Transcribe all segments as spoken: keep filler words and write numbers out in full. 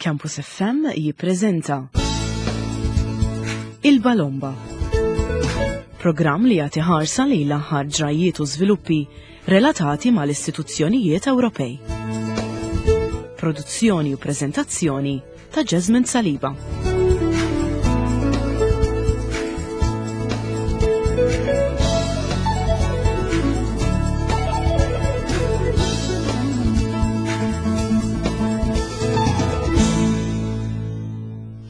Campus F M jippreżenta Il-Balomba. Programm li jagħti ħarsa lejn l-aħħar ġrajiet u żviluppi relatati mal-istituzzjonijiet Ewropej. Produzzjoni u preżentazzjoni ta' Jasmine Saliba.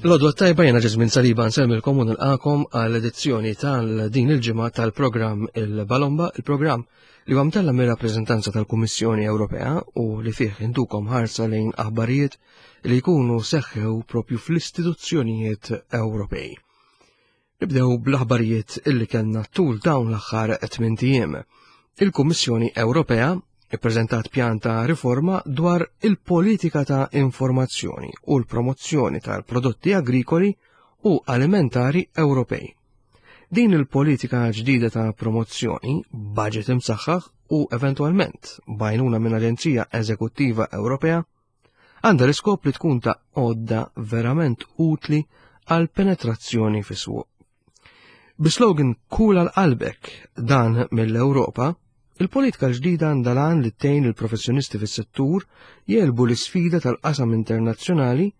L-għodwa t-tajba, jiena Ġesmin Saliba, nsellmilkom u nilqagħkom għal edizzjoni tal-din il-ġimgħa tal-programm Il-Balomba, il-programm li huwa mtella mir-rappreżentanza tal-Kummissjoni Ewropea u li fih intukom ħarsa lejn aħbarijiet li jkunu seħħew propju fl-istituzzjonijiet Ewropej. Nibdew bl-aħbarijiet illi kellna tul dawn l-aħħar tmint ijiem. Il-Kummissjoni Ewropea ippreżentat pjan ta' riforma dwar il-politika ta' informazzjoni u l-promozzjoni tal-prodotti agrikoli u alimentari Ewropej. Din il-politika ġdida ta' promozzjoni, budget imsaħħaħ u eventwalment b'għajnuna minn Aġenzija Eżekuttiva Ewropea, għandha l-iskop li tkun ta' għodda verament utli għal penetrazzjoni fis-suq. Bi-slogan "Kul għal qalbek dan mill-Ewropa", il-politika ġdida għandha l-għan li tgħin il-professjonisti fis-settur jegħlbu l-isfida tal-qasam internazzjonali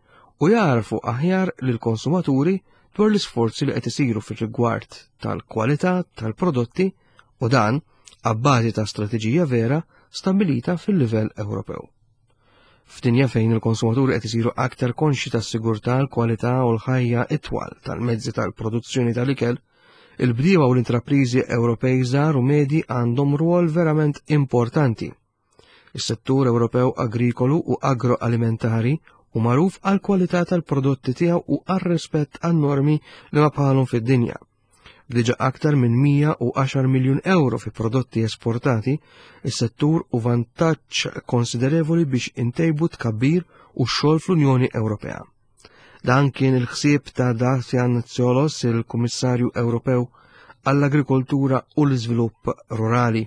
u jgħarrfu aħjar lill-konsumaturi dwar l-isforzi li qed isiru fir-rigward tal-kwalità tal-prodotti, u dan abbażi ta' strateġija vera stabilita fil-livell Ewropew. F'dinja fejn il-konsumaturi qed isiru aktar konxi tas-sigurtà, l-kwalità u l-ħajja itwal tal-mezzi tal-produzzjoni tal-ikel, il-bdiewa u l-intrapriżi Ewropej żgħar u medji għandhom rwol verament importanti. Is-settur Ewropew agrikolu u agroalimentari hu magħruf għal kwalità tal-prodotti tiegħu u għar-rispett għan-normi li ma bħalhom fid-dinja. Diġà aktar minn mija u għaxar miljun euro fi prodotti esportati, is-settur hu vantaġġ konsiderevoli biex intejbu tkabbir u x-xogħol fl-Unjoni Ewropea. Dan kien il-ħsieb ta' Dacian Ciolos, il-Kummissarju Ewropew għall-Agrikoltura u l-Iżvilupp Rurali.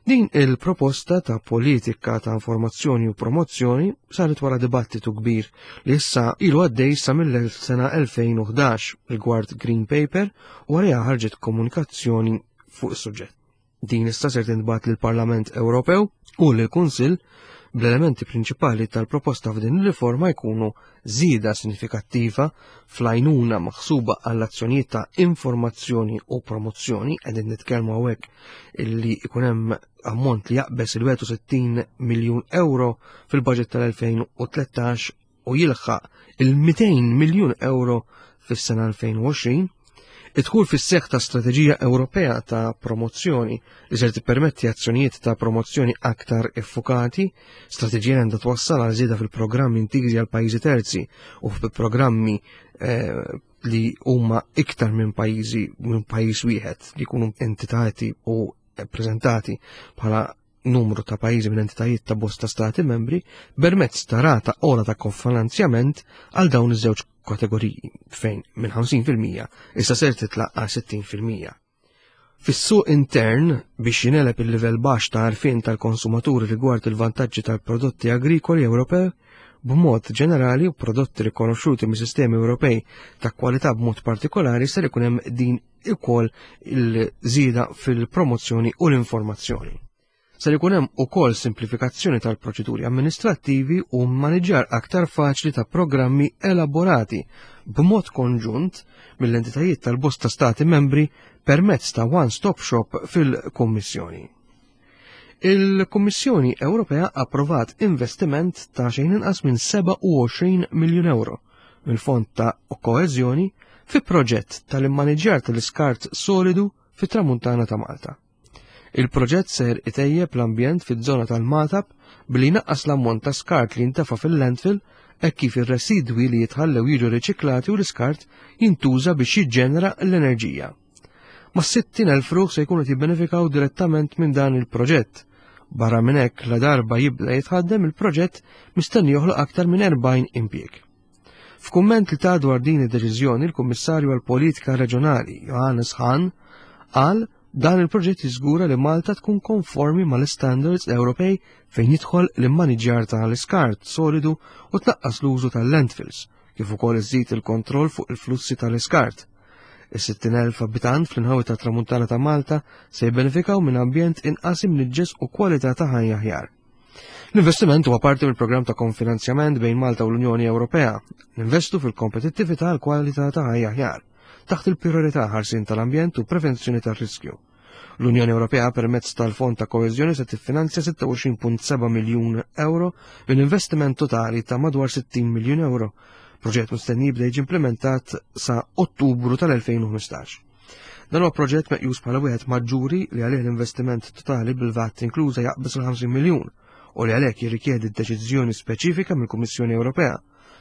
Din il-proposta ta' politika ta' informazzjoni u promozzjoni saret wara dibattitu kbir li issa ilu għaddej sa mill-sena elfejn u ħdax rigward Green Paper u għalija ħarġet komunikazzjoni fuq is-suġġett. Din issa ser tintbagħat lill-Parlament Ewropew u lill-Kunsill, bl-elementi prinċipali tal-proposta f'din il-riforma jkunu żieda sinifikattiva fl-għajnuna maħsuba għall-azzjonijiet ta' informazzjoni u promozzjoni, qegħdin nitkellmu hawnhekk illi ikun hemm ammont li jaqbeż il-wieħed u sittin miljun euro fil-budget tal-elfejn u tlettax u jilħaq il-mitejn miljun euro fis-sena elfejn u għoxrin, id-dħul fis-seħħ ta' strateġija Ewropea ta' promozzjoni li ser tippermetti azzjonijiet ta' promozzjoni aktar iffukati, strateġija għandha twassal għal żieda fil-programmi intiżi għal pajjiżi terzi u fil-programmi eh, li huma iktar minn pajjiżi minn pajjiż wieħed, li jkunu entitati u prezentati bħala numru ta' pajjiżi minn entitajiet ta' bosta stati membri, permezz ta' rata ogħla ta' kofinanzjament għal dawn iż-żewġ kategoriji, fejn minn ħamsin fil-mija issa ser titla' għal sittin fil-mija. Fis-suq intern, biex jingħeleb il-livell baxx ta' għarfien tal-konsumaturi rigward il-vantaġġi tal-prodotti agrikoli Ewropew b'mod ġenerali u prodotti rikonoxxuti mis-sistemi Ewropej ta' kwalità b'mod partikolari, ser ikun hemm din ukoll il-żieda fil-promozzjoni u l-informazzjoni. Ser ikun hemm ukoll simplifikazzjoni tal-proċeduri amministrattivi u maniġġar aktar faċli ta' programmi elaborati b'mod konġunt mill-entitajiet tal-bosta stati membri permezz ta' one-stop shop fil-Kummissjoni. Il-Kummissjoni Ewropea approvat investiment ta' xejn inqas minn sebgħa u għoxrin miljun euro mill-Fond ta' Koeżjoni fi proġett tal-immaniġġjar tal-iskart solidu fit-Tramuntana ta' Malta. Il-proġett ser itejjeb l-ambjent fiż-żona tal-Magħtab billi jnaqqas l-ammont ta' skart li jintefa' fil-landfill, hekk kif ir-residwi li jitħallew jiġu riċiklati u l-iskart jintuża biex jiġġenera l-enerġija. Ma' sittin elf ruħ se jkunu jibbenefikaw direttament minn dan il-proġett. Barra minn hekk, la darba jibda jitħaddem, il-proġett mistenni joħloq aktar minn erbgħin impjieg. F'kumment li ta dwar din id-deċiżjoni, il-Kummissarju għall-Politika Reġjonali Johannes Hahn qal Dan il-proġett jiżgura li Malta tkun konformi mal-standards Ewropej fejn jidħol l-immaniġjar tal-iskart solidu u tnaqqas l-użu tal-landfills, kif ukoll iżid il-kontroll fuq il-flussi tal-iskart. Is-sittin elf abitant fl-inħawi ta' Tramuntana ta' Malta se jibbenefikaw minn ambjent inqas imniġġes u kwalità ta' ħajja aħjar. L-investiment huwa parti mill-programm ta' konfinanzjament bejn Malta u l-Unjoni Ewropea. Ninvestu fil-kompetittività għal kwalità ta' ħajja aħjar, taħt il-priorità ħarsien tal-ambjent u prevenzjoni tar-riskju. L-Unjoni Ewropea permezz tal-Fond ta' Koeżjoni se tiffinanzja sitta u għoxrin punt seba' miljun euro minn investiment totali ta' madwar sittin miljun euro. Proġett mistenni jibda jiġi implementat sa' Ottubru tal-elfejn u ħmistax. Dan huwa proġett meqjus bħala wieħed maġġuri li għalih l-investiment totali bil-V A T inkluża jaqbeż il-ħamsin miljun u li għalhekk jirrikjedi deċiżjoni speċifika mill-Kummissjoni Ewropea,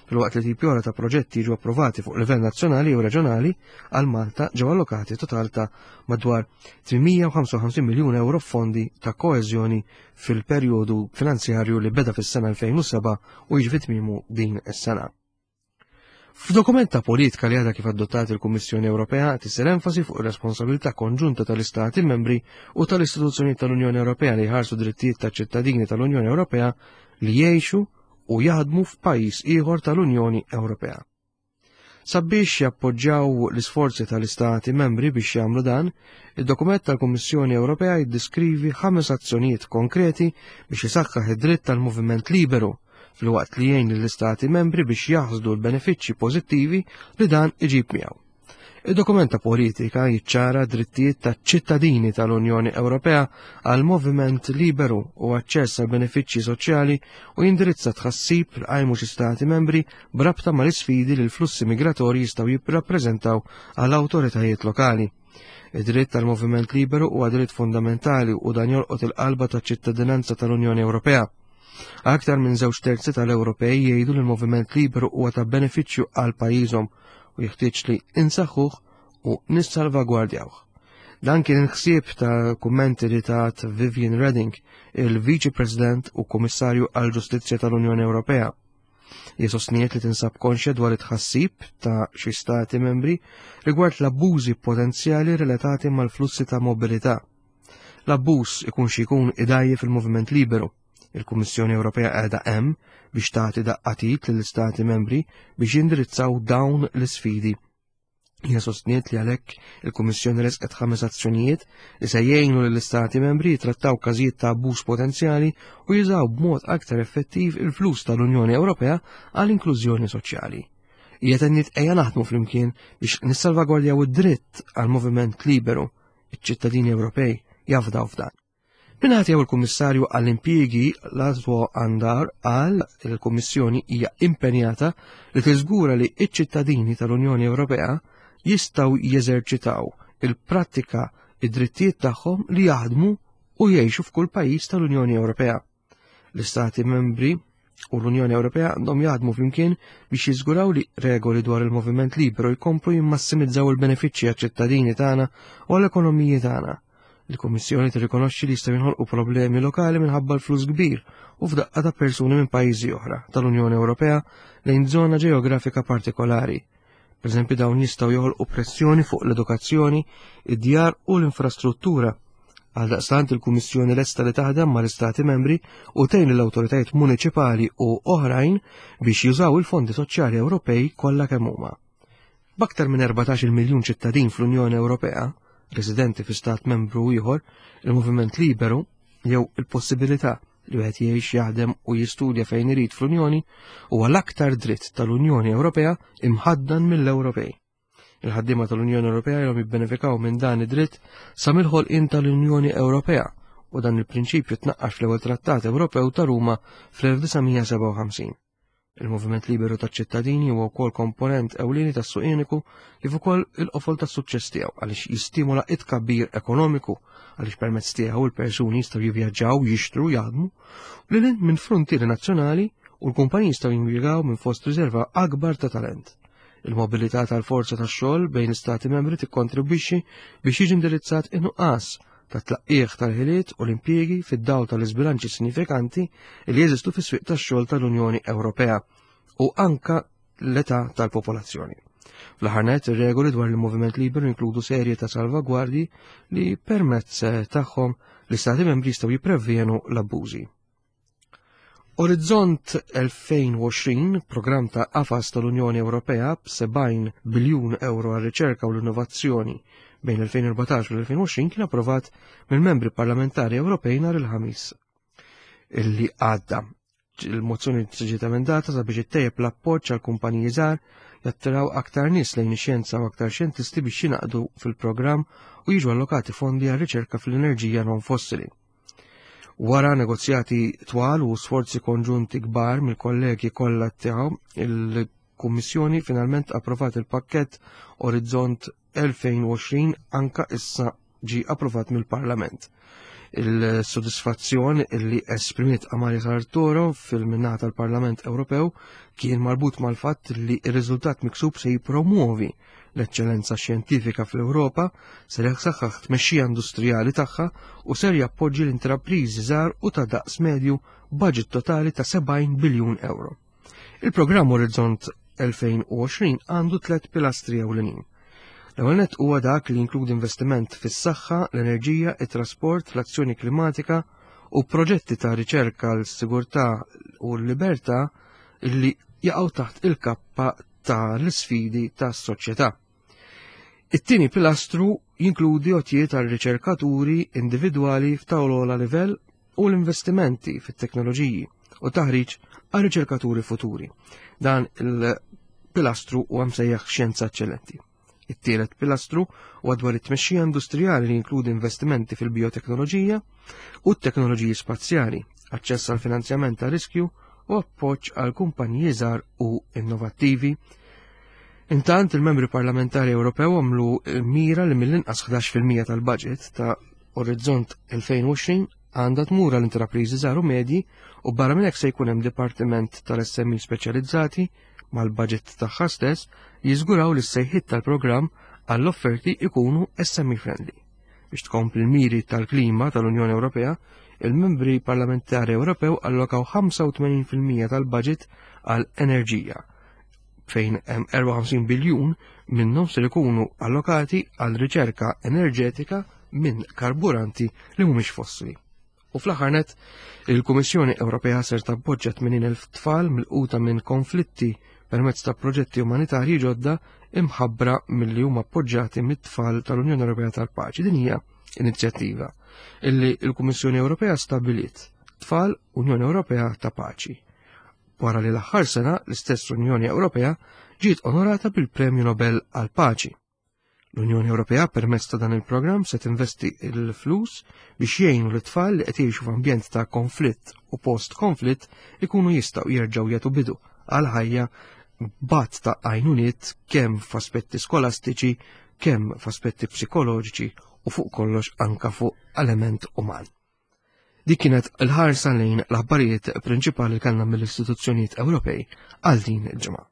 filwaqt li tipi oħra ta' proġetti jiġu approvati fuq livell nazzjonali u reġjonali. Għal Malta ġew allokati total ta' madwar tmienmija u ħamsa u ħamsin miljun euro fondi ta' koeżjoni fil-perjodu finanzjarju li beda fis-sena elfejn u seba' u jiġi fi tmiemu din is-sena. F'dokument ta' politika li għadha kif adottat il-Kummissjoni Ewropea tisser enfasi fuq ir-responsabilità konġunta tal-Istati membri u tal-istituzzjonijiet tal-Unjoni Ewropea li jħarsu drittijiet taċ-ċittadini tal-Unjoni Ewropea li jgħixu u jaħdmu f'pajjiż ieħor tal-Unjoni Ewropea. Sabiex jappoġġjaw l-isforzi tal-Istati membri biex jagħmlu dan, id-dokument tal-Kummissjoni Ewropea jiddeskrivi ħames azzjonijiet konkreti biex isaħħaħ id-dritt tal-moviment liberu, filwaqt li jgħin lill-Istati membri biex jaħsdu l-benefiċċji pożittivi li dan iġib miegħu. Id-dokument ta' politika jiċċara drittijiet ta' ċittadini tal-Unjoni Ewropea għal moviment liberu u aċċess għal benefiċċji soċjali u jindirizza tħassib li qajmu xi stati membri b'rabta mal-isfidi li l-flussi migratorji jistgħu jirrappreżentaw għal awtoritajiet lokali. Id-dritt tal-moviment liberu huwa dritt fundamentali u dan jolqot il-qalba taċ-ċittadinanza tal-Unjoni Ewropea. Aktar minn żewġ terzi tal-Ewropej jgħidu li l-moviment liberu huwa ta' benefiċċju għal pajjiżhom u jeħtieġ li insaħħuh u nissalvagwardjawh. Dan kien il-ħsieb ta' kummenti li tat Viviane Reding, il-Viċi President u Kummissarju għall-Ġustizzja tal-Unjoni Ewropea. Hi sostniet li tinsab konxja dwar it-tħassib ta' xi stati membri rigward l-abbużi potenzjali relatati mal-flussi ta' mobilità. L-abbuż ikun xi jkun idgħajjef il-moviment liberu. Il-Kummissjoni Ewropea qiegħda hemm biex tagħti daqqa t'id lill-istati membri biex jindirizzaw dawn l-isfidi. Hija sostniet li għalhekk il-Kummissjoni resqet ħames azzjonijiet li se jgħinu lill-istati membri jitrattaw każijiet ta' abbuż potenzjali u jużaw b'mod aktar effettiv il-flus tal-Unjoni Ewropea għall inklużjoni soċjali. Hija tenniet ejja naħdmu flimkien biex nissalvagwardjaw id-dritt għal moviment liberu. Iċ-ċittadini Ewropej jafdaw f'dan. Min-naħa tiegħu il-Kummissarju għall-Impjiegi Laszlo Andor qal li l-Kummissjoni hija impenjata li tiżgura li ċ-ċittadini tal-Unjoni Ewropea jistgħu jeżerċitaw il-prattika id-drittijiet tagħhom li jaħdmu u jgħixu f'kull pajjiż tal-Unjoni Ewropea. L-Istati membri u l-Unjoni Ewropea għandhom jaħdmu flimkien biex jiżguraw li regoli dwar il-moviment liberu jkomplu jimmassimizzaw il-benefiċċji għaċ-ċittadini tagħna u għall-ekonomiji tagħna. Il-Kummissjoni tirrikonoxxi li jistgħu jinħolqu problemi lokali minħabba l-flus kbir u f'daqqa ta' persuni minn pajjiżi oħra tal-Unjoni Ewropea lejn żona ġeografika partikolari. Per eżempju, dawn jistgħu joħolqu pressjoni fuq l-edukazzjoni, id-djar u l-infrastruttura. Għaldaqstant il-Kummissjoni lesta li taħdem mal-Istati membri u tgħin lill-awtoritajiet muniċipali u oħrajn biex jużaw il-fondi soċjali Ewropej kollha kemm huma. B'aktar minn erbatax-il miljun ċittadin fl-Unjoni Ewropea, residenti fi stat membru ieħor, il-moviment liberu jew il-possibilità li wieħed jgħix, jaħdem u jistudja fejn irid fl-Unjoni huwa l-aktar dritt tal-Unjoni Ewropea imħaddan mill-Ewropej. Il-ħaddiema tal-Unjoni Ewropea ilhom jibbenefikaw minn dan id-dritt sa mill-ħolqien tal-Unjoni Ewropea u dan il-prinċipju tnaqqax fl-ewwel Trattat Ewropew ta' Ruma fl-elf disa' mija sebgħa u ħamsin. Il-moviment liberu taċ-ċittadini huwa wkoll komponent ewlieni tas-suq uniku kif ukoll il-qofol tas-suċċess tiegħu għaliex jistimula it-tkabbir ekonomiku għaliex permezz tiegħu il-persuni jistgħu jivvjaġġaw, jixtru, jaħdmu lil hinn minn frontieri nazzjonali u l-kumpaniji jistgħu jimpjegaw minn fost riserva akbar ta' talent. Il-mobilità tal-forza tax-xogħol bejn l-istati membri tikkontribwixxi biex jiġi indirizzat in-nuqqas ta' tlaqqieħ tal-ħiliet u l-impjiegi fid-dawl tal-iżbilanċi sinifikanti li jeżistu fis-swieq tax-xogħol tal-Unjoni Ewropea u anka l-età tal-popolazzjoni. Fl-aħħar nett, ir-regoli dwar il-moviment liberu jinkludu serje ta' salvagwardji li permezz tagħhom l-Istati membri jistgħu jipprevjenu l-abbużi. Orizzont elfejn u għoxrin, programm ta' qafas tal-Unjoni Ewropea b'sebgħin biljun euro għar-riċerka u l-innovazzjoni bejn elfejn u erbatax u l-elfejn u għoxrin, kien approvat mill-membri parlamentari Ewropej nhar il-Ħamis illi għadda. Il-mozzjoni ġiet emendata sabiex ittejjeb l-appoġġ għal kumpaniji żgħar, jattiraw aktar nies lejn ix-xjenza u aktar xjentisti biex jingħaqdu fil-programm u jiġu allokati fondi għal riċerka fl-enerġija non fossili. Wara negozjati twal u sforzi konġunti kbar mill-kollegi kollha tiegħu, il-Kummissjoni finalment approvat il-pakkett Orizzont elfejn u għoxrin anka issa ġi approvat mill-Parlament. Il-sodisfazzjon li esprimiet Amalia Sartoro fil-minnata tal-Parlament Ewropew kien marbut mal-fatt li r-riżultat miksub se jipromuovi l-eċċellenza xjentifika fl-Ewropa, ser jaħsaħħaħ tmexxija industrijali tagħha u ser jappoġġi l-intrapriżi żgħar u ta' daqs medju b'budget totali ta' sebgħin biljun euro. Il-programm Orizzont elfejn u għoxrin għandu tliet pilastri ewlenin. L-ewwel nett huwa dak li jinkludi investiment fis-saħħa, l-enerġija, it-trasport, l-azzjoni klimatika u proġetti ta' riċerka l-sigurtà u l-libertà li jaqgħu taħt il-kappa tal-isfidi tas-soċjetà. It-tieni pilastru jinkludi għotjiet għal riċerkaturi individwali f'tawla livell u l-investimenti fit-teknoloġiji u taħriġ għal riċerkaturi futuri. Dan il-pilastru huwa msejjaħ xjenza eċċellenti. It-tielet pilastru huwa dwar it-tmexxija industrijali li jinkludi investimenti fil-bioteknoloġija u t-teknoloġiji spazjali, aċċess għal finanzjament ta' riskju u appoġġ għal kumpaniji żgħar u innovattivi. Intant il-membri parlamentari Ewropew għamlu mira li mill-inqas ħdax fil-mija tal-budget ta' Orizzont elfejn u għoxrin għandha tmur għal intrapriżi żgħar u medji u barra minn hekk se jkun hemm dipartiment tal-S M E speċjalizzati mal-budget tagħha stess li jiżguraw li s-sejħiet tal-programm għall-offerti ikunu S M E friendly. Biex tkompli l-miri tal-klima tal-Unjoni Ewropea, il-membri parlamentari Ewropew allokaw ħamsa u tmenin fil-mija tal-budget għal enerġija, fejn hemm erbgħa u ħamsin biljun minnhom se jkunu allokati għal riċerka enerġetika minn karburanti li mhumiex fossili. U fl-aħħar nett, il-Kummissjoni Ewropea ser tappoġġja tmenin elf tfal milquta minn konflitti permezz ta' proġetti umanitarji ġodda imħabbra milli huma appoġġjati mit-tfal tal-Unjoni Ewropea tal-Paċi. Din hija inizjattiva illi l-Kummissjoni Ewropea stabbiliet Tfal Unjoni Ewropea ta' Paċi. Wara li l-aħħar sena l-istess Unjoni Ewropea ġiet onorata bil-Premju Nobel għall-Paċi. L-Unjoni Ewropea permezz ta' dan il-programm se tinvesti l-flus biex jgħinu l-tfal li qed jgħixu f'ambjent ta' konflitt u post-konflitt ikunu jistgħu jerġgħu jagħtu bidu għal ħajja b'għadd ta' għajnuniet kemm f'aspetti skolastiċi, kemm f'aspetti psikoloġiċi u fuq kollox anka fuq element uman. Dik kienet il-ħarsa lejn l-aħbarijiet prinċipali li kellna mill-istituzzjonijiet Ewropej għal din il-ġimgħa.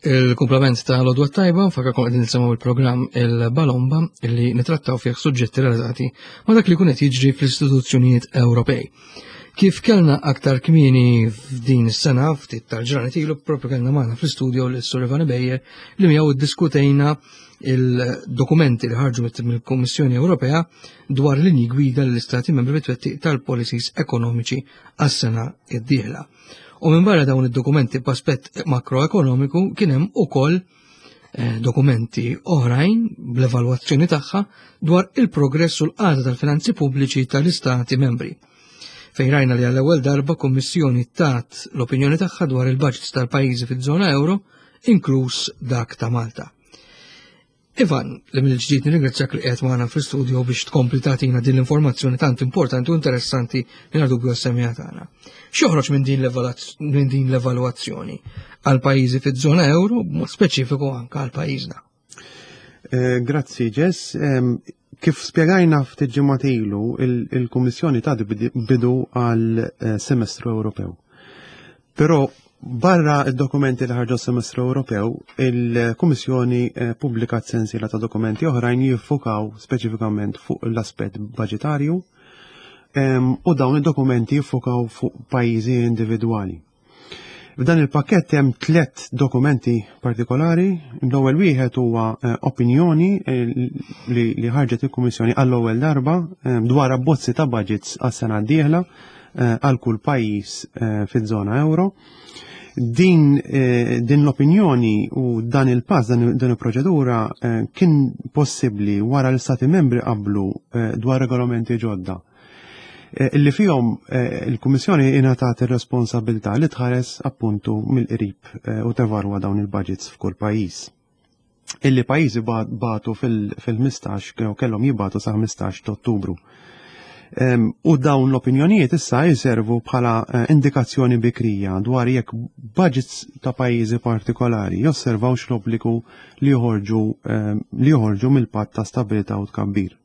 Il-kumplament ta' l-Għodwa Tajba, nfakkarkom qegħdin nisimgħu il-programm Il-Balomba illi nitrattaw fih suġġetti relatati ma' dak li jkun qed jiġri fl-istituzzjonijiet Ewropej. Kif kellna aktar kmieni f'din is-sena, ftit tal-ġranet ilu, propju kellna magħna fl-istudio lil Sur Ivan Ebejer li miegħu iddiskutejna il-dokumenti li ħarġu mill-Kummissjoni Ewropea dwar linji gwida lill-Istati Membri bit-twettiq tal-policies ekonomiċi għas-sena d-dieħla. U minn barra dawn id-dokumenti b'aspett makroekonomiku kien hemm ukoll, eh, dokumenti oħrajn bl-evalwazzjoni tagħha dwar il-progress u l-qagħda tal-finanzi pubbliċi tal-Istati Membri. Fejn rajna li għall-ewwel darba Kummissjoni tat l-opinjoni tagħha dwar il-budgets tal-pajjiżi fiż-żona euro, inkluż dak ta' Malta. Ivan, li mill-ġdid nirringrazzjak li qiegħed magħna fl-istudio biex tkompli tagħtina din l-informazzjoni tant importanti u interessanti li dubju għas-semmiegħa tagħna. X'joħroġ minn din minn din l-evalwazzjoni għal pajjiżi fiż-żona euro, b'mod speċifiku anke għal pajjiżna? Eh, grazzi, Jess. Kif spjegajna ftit ġimgħat ilu, il-Kummissjoni ta' bidu għal eh, semestru Ewropew. Però barra id-dokumenti li ħarġu semestru Ewropew, il-Kummissjoni eh, pubblikat sensiela ta' dokumenti oħrajn jiffukaw speċifikament fuq l-aspett budgetarju u dawn id-dokumenti jiffukaw fuq pajjiżi individwali. F'dan il-pakket hemm tliet dokumenti partikolari. L-ewwel wieħed huwa eh, opinjoni eh, li ħarġet il-Kummissjoni għall-ewwel darba dwar abbozzi ta' budgets għas-sena d-dieħla għal kull pajjiż fiż-żona euro. Din, din l-opinjoni u dan il-pass, dan, dan il-proċedura kien possibbli wara l-Stati membri qablu dwar regolamenti ġodda illi fihom il-Kummissjoni ingħatat ir-responsabilità li tħares appuntu mill-qrib u tevalwa dawn il-budgets f'kull pajjiż. Illi pajjiżi bagħtu fil-ħmistax, kellhom jibagħtu sa ħmistax ta' Ottubru. U dawn l-opinjonijiet issa jiservu bħala indikazzjoni bikrija dwar jekk budgets ta' pajjiżi partikolari josservawx l-obbligu li joħorġu li joħorġu mill-patt ta' stabilità u tkabbir.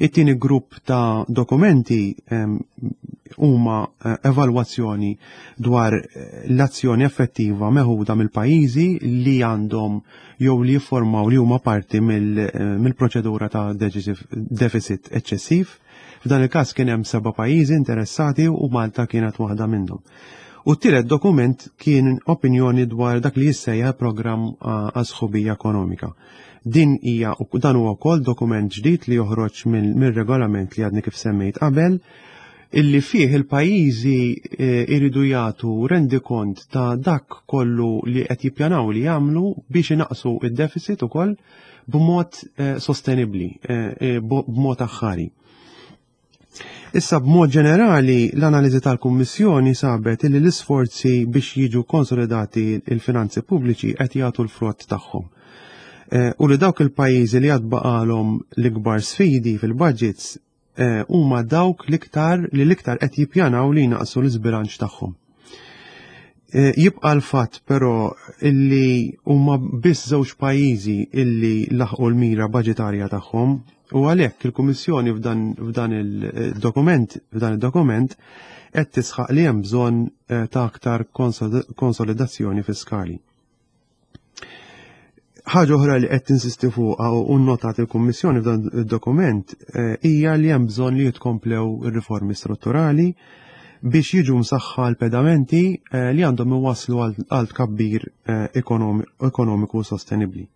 It-tieni grupp ta' dokumenti huma evalwazzjoni dwar l-azzjoni effettiva meħuda mill-pajjiżi li għandhom jew li jiffurmaw li huma parti mill-proċedura ta' deficit eċċessiv. F'dan il-każ kien hemm seba' pajjiżi interessati u Malta kienet waħda minnhom. U t-tielet dokument kien opinjoni dwar dak li jissejjaħ programm għas-sħubija ekonomika. Din hija dan huwa wkoll dokument ġdid li joħroġ mill-regolament li għadni kif semmejt qabel, illi fih il-pajjiżi iridu jagħtu rendikont ta' dak kollu li qed jippjanaw li jagħmlu biex inaqsu id-deficit ukoll b'mod sostenibbli, b'mod aħħari. Issa b'mod ġenerali l-analiżi tal-Kummissjoni sabet li l-isforzi biex jiġu konsolidati il-finanzi pubbliċi qed jagħtu l-frott tagħhom. U li dawk il-pajjiżi li għad baqalhom l-ikbar sfidi fil-budgets huma dawk l-iktar li l-iktar qed jippjanaw li jnaqsu l-iżbilanċ tagħhom. Jibqa' l-fatt però illi huma biss żewġ pajjiżi illi laħqu l-mira budgetarja tagħhom u għalhekk il-Kummissjoni f'dan il-dokument f'dan id-dokument qed tisħaq li hemm bżonn ta' aktar konsolidazzjoni fiskali. Ħaġa oħra li qed tinsisti fuqha u nnotat il-Kummissjoni f'dan id-dokument hija li hemm bżonn li jitkomplew ir-riformi strutturali biex jiġu msaħħa l-pedamenti li għandhom iwasslu għal tkabbir ekonomiku sostenibbli.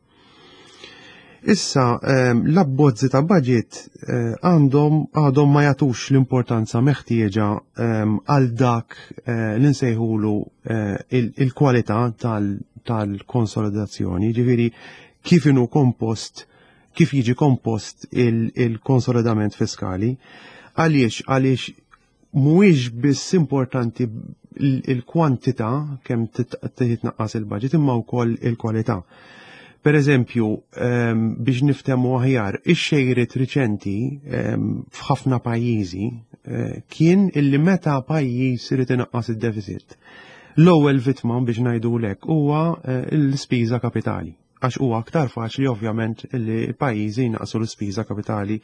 Issa l-abbozzi ta' budget għandhom għadhom ma jagħtux l-importanza meħtieġa għal dak li nsejħulu il-kwalità tal-konsolidazzjoni, ġifieri kif inhu kompost, kif jiġi kompost il-konsolidament fiskali. Għaliex għaliex mhuwiex biss importanti il-kwantità kemm titnaqqas il-budget imma wkoll il-kwalità. Per eżempju, biex niftehmu aħjar, ix-xejriet riċenti f'ħafna pajjiżi kien illi meta pajjiż irid inaqqas id-deficit. L-ewwel vittma biex ngħidulek huwa l-ispiża kapitali, għax huwa aktar faċli ovvjament li l-pajjiżi jnaqqsu l-ispiża kapitali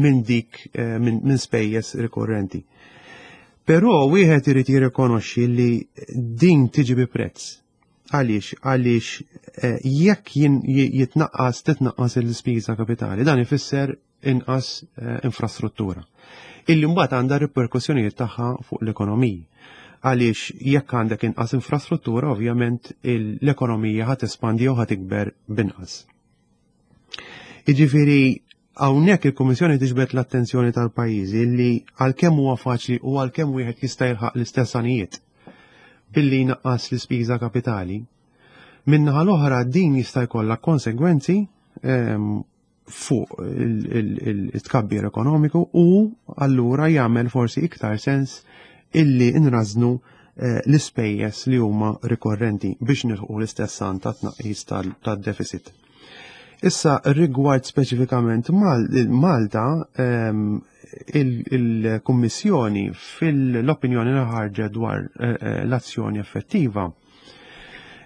minn dik minn spejjeż rikorrenti. Però wieħed irid jirrikonoxxi li din tiġi bi prezz. Għaliex, għaliex jekk jitnaqqas titnaqqas l-ispiża kapitali, dan ifisser inqas infrastruttura. Illi mbagħad għandha riperkussjonijiet tagħha fuq l-ekonomiji. Għaliex jekk għandek inqas infrastruttura, ovvjament l-ekonomija ħa tespandi jew ħa tikber binqas. Jiġifieri hawnhekk il-Kummissjoni tiġbed l-attenzjoni tal-pajjiżi li għalkemm huwa faċli u għalkemm wieħed jista' jilħaq l-istess għanijiet billi jnaqqas l-ispiża kapitali, min-naħa l-oħra din jista' jkollha konsegwenzi fuq il-tkabbir ekonomiku u allura jagħmel forsi iktar sens illi nrażnu l-ispejjeż li huma rikorrenti biex nilħqu l-istess għan ta' tnaqqis tad-deficit. Issa rigward speċifikament Malta, il-Kummissjoni fil-opinjoni li ħarġet dwar eh, eh, l-azzjoni effettiva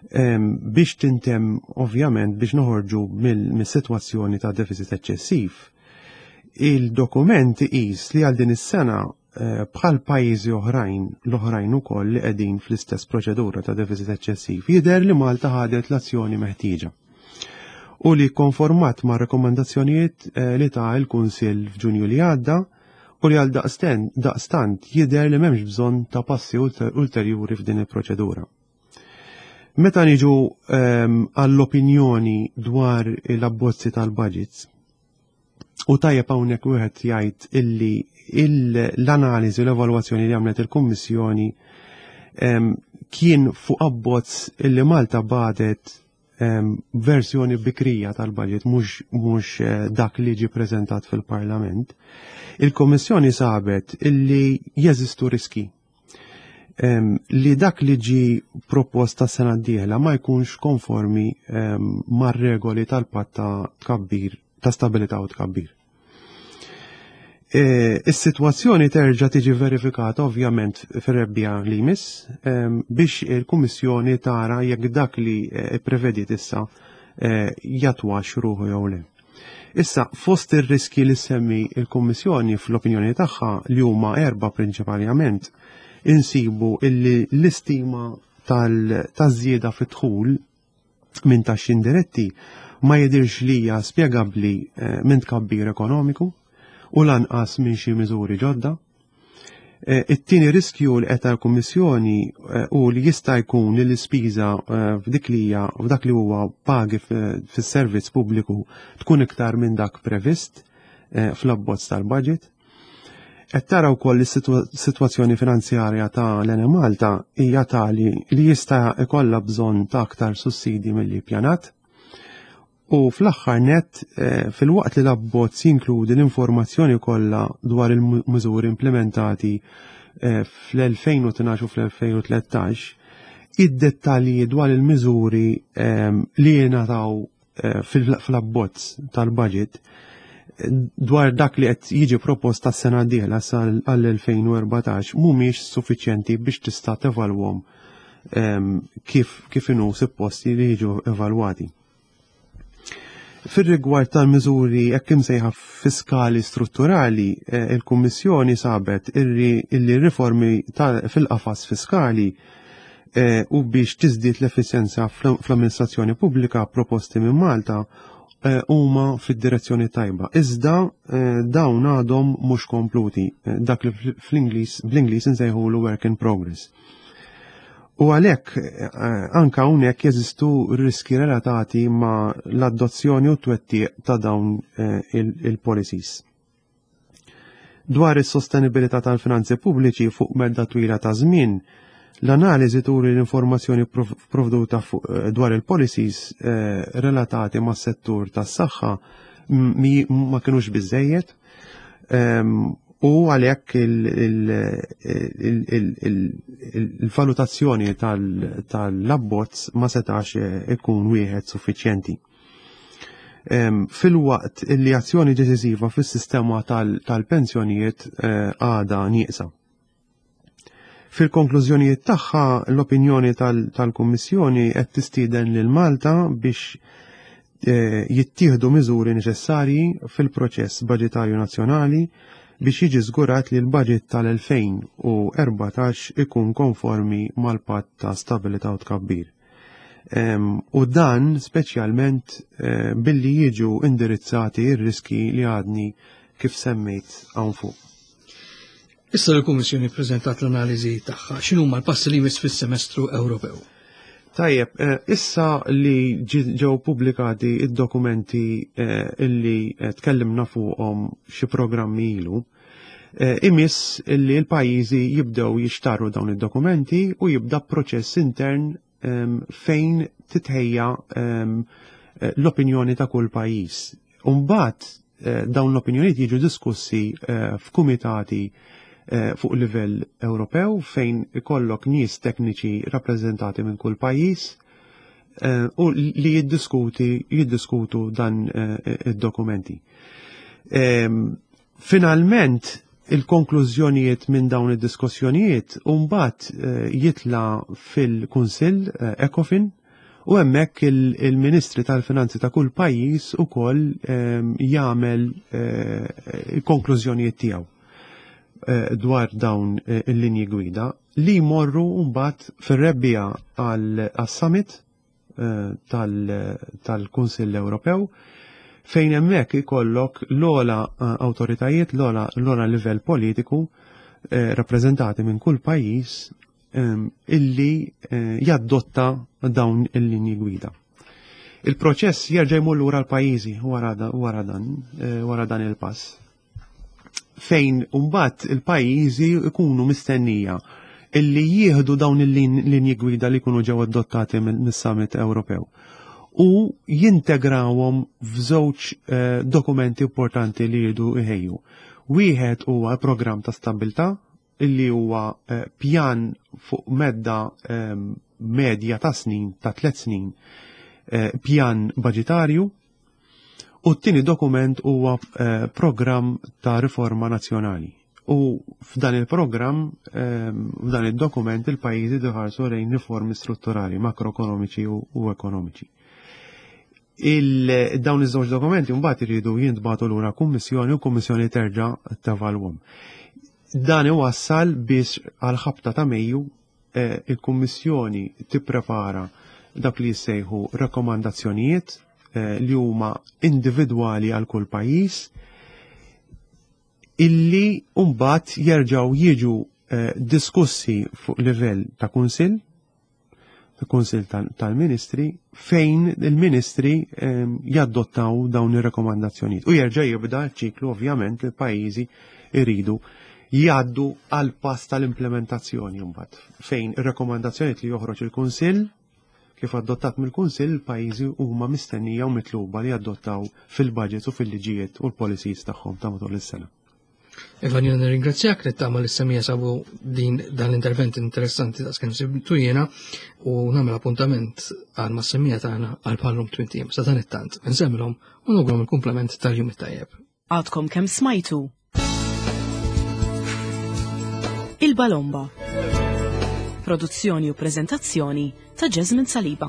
biex tintem ovvjament biex noħorġu mill-sitwazzjoni ta' deficit eċċessiv. Il-dokument iqis li għal din is-sena eh, bħal pajjiżi oħrajn l-oħrajn ukoll li qegħdin fl-istess proċedura ta' deficit eċċessiv jidher li Malta ħadet l-azzjoni meħtieġa u li konformat ma' rekomendazzjonijiet eh, li ta' il-Kunsill f'Ġunju li għadda u li għal daqstant jidher li m'hemmx bżonn ta' passi ulterjuri f'din il-proċedura. Meta niġu ehm, għall-opinjoni dwar l-abbozzi tal-budgets, u tajjeb hawnhekk wieħed jgħid illi l-analiżi u l-evalwazzjoni li għamlet il-Kummissjoni ehm, kien fuq abbozz illi Malta bagħtet ehm, versjoni bikrija tal-budget mhux eh, dak li ġi preżentat fil-Parlament. Il-Kummissjoni sabet illi jeżistu riski li dak li ġi proposta sena d-dieħla ma jkunx konformi mar-regoli tal-patt ta' tkabbir, ta' stabilità u tkabbir. E, is-sitwazzjoni terġa' tiġi verifikata ovvjament fir-rebbiegħa li jmiss biex il-Kummissjoni tara jekk dak li e, prevediet issa e, jattwax ruħu jew le. Issa, fost ir-riski li semmi il-Kummissjoni fl-opinjoni tagħha li huma erba' prinċipalment, insibu illi l-istima tal-żieda fit-dħul minn taxxi indiretti ma jidirx li hija spjegabbli eh, minn tkabbir ekonomiku u lanqas minn xi miżuri ġodda. Eh, it-tieni riskju li qed l-Kummissjoni eh, u li jista' jkun li l-ispiża f'dik li hija f'dak li huwa pagi fis-servizz pubbliku tkun iktar minn dak previst fl-abbozz tal-budget. Qed tara wkoll is-sitwazzjoni finanzjarja ta' l-Enemalta hija tali li jista' ikollha bżonn ta' aktar sussidi milli pjanat. U fl-aħħar net, eh, filwaqt li l-abbozz jinkludi l-informazzjoni kollha dwar il-miżuri implementati eh, fl-elfejn u tnax u fl-elfejn u tlettax, id-dettalji dwar il-miżuri eh, li jingħataw fl-abbozz tal-budget dwar dak li qed jiġi proposta s-sena d-dieħla għall-elfejn u erbatax mhumiex suffiċjenti biex tista' tevalwhom kif kif inhu supposti li jiġu evalwati. Fir-rigward tal-miżuri hekk imsejħa fiskali strutturali, eh, il-Kummissjoni sabet illi riformi fil-qafas fiskali eh, u biex tiżdied l-efficienza fl-amministrazzjoni pubblika proposti minn Malta eh, huma fid-direzzjoni tajba. Iżda dawn għadhom mhux kompluti, dak li fl-Ingliż bl-Ingliż insejħulu work in progress. U għalhekk anka hawnhekk jeżistu riski relatati ma' l-adozzjoni u t-twettiq ta' dawn il-policies. Dwar is-sostenibilità tal-finanzi pubbliċi fuq medda twila ta' żmien, l-analiżi turi l-informazzjoni provduta dwar il-policies relatati mas settur tas-saħħa ma kinux biżejjed u għalhekk il-valutazzjoni tal-abbozz ma setax ikun wieħed suffiċjenti. Filwaqt li azzjoni deċiżiva fis-sistema tal-pensjonijiet eh, għada nieqsa. Fil-konklużjonijiet tagħha l-opinjoni tal-Kummissjoni qed tistieden lil Malta biex eh, jittieħdu miżuri neċessarji fil-proċess budgetarju nazzjonali biex jiġi żgurat li l-budget tal-elfejn u erbatax ikun konformi mal-patt ta' stabilità u tkabbir. U dan speċjalment eh, billi jiġu indirizzati ir-riski li għadni kif semmejt hawn fuq. Issa l-Kummissjoni preżentat l-analiżi tagħha, x'inhuma l-passi li jmiss fis-semestru Ewropew? Tajjeb, eh, issa li ġew pubblikati id-dokumenti eh, illi tkellimna fuqhom xi programmi ilu, imiss illi l-pajjiżi jibdew jixtarru dawn id-dokumenti u jibda proċess intern fejn titħejja l-opinjoni ta' kull pajjiż. Umbagħad eh, dawn l-opinjonijiet jiġu diskussi eh, f'kumitati eh, fuq livell Ewropew fejn ikollok nies tekniċi rappreżentati minn kull pajjiż eh, u li jiddiskuti jiddiskutu dan eh, id-dokumenti. Ehm, finalment, il-konklużjonijiet minn dawn id-diskussjonijiet mbagħad eh, jitla fil-Kunsill Ecofin u hemmhekk il-Ministri tal-Finanzi ta' kull pajjiż ukoll ehm, jagħmel il-konklużjonijiet tiegħu dwar dawn il-linji gwida li jmorru mbagħad fir-rebbiegħa għal-summit eh, tal-Kunsill Ewropew, fejn hemmhekk ikollok l-ogħla eh, awtoritajiet, l-ogħla livell politiku eh, rappreżentati minn kull pajjiż illi jaddotta dawn il-linji gwida. Il-proċess jerġa' jmur lura l-pajjiżi wara dan wara dan il-pass, fejn mbagħad il-pajjiżi ikunu mistennija illi jieħdu dawn il-linji gwida li jkunu ġew adottati mis-Summit Ewropew u jintegrawhom f'żewġ eh, dokumenti importanti li jridu jħejju. Wieħed huwa programm ta' stabilità, illi huwa eh, pjan fuq medda eh, medja ta' snin, ta' tliet snin, pjan budgetarju, u t-tieni dokument huwa programm ta' riforma nazzjonali. U f'dan il-programm, ehm, f'dan il-dokument, il-pajjiżi jħarsu lejn riformi strutturali, makroekonomiċi u ekonomiċi. Dawn iż-żewġ dokumenti mbagħad iridu jintbagħtu lura kummissjoni u kummissjoni terġa' tevalwhom. Dan iwassal biex għal ħabta ta' Mejju eh, il-Kummissjoni tipprepara dak li jissejħu rakkomandazzjonijiet eh, li huma individwali għal kull pajjiż, illi mbagħad jerġgħu jiġu eh, diskussi fuq livell ta' kunsill, ta' kunsill tal-ministri, fejn il-ministri eh, jaddottaw dawn ir-rekomandazzjonijiet. U jerġa' jibda ċiklu, ovvjament, il-pajjiżi iridu jgħaddu għal pass tal-implementazzjoni mbagħad, fejn ir-rekomandazzjonijiet li joħroġ il-Kunsill, kif adottat mill-Kunsill, il-pajjiżi huma mistennija u mitluba li adottaw fil-budgets u fil-liġijiet u l-policies tagħhom ta' matul is-sena. Evan, jena nirringrazzjak, nittama li s-semmiegħa sabu din dan l-intervent interessanti ta' skem sibtu jena u nagħmel appuntament għal ma' semmiegħa tagħna għal bħal-lum tmint ijiem. Sa dan it-tant, nsemmilhom u nawguralhom il-kumplament tal-jum it-tajjeb. Għadkom kemm smajtu Il-Balomba. Produzzjoni u prezentazzjoni ta' Jasmine Saliba.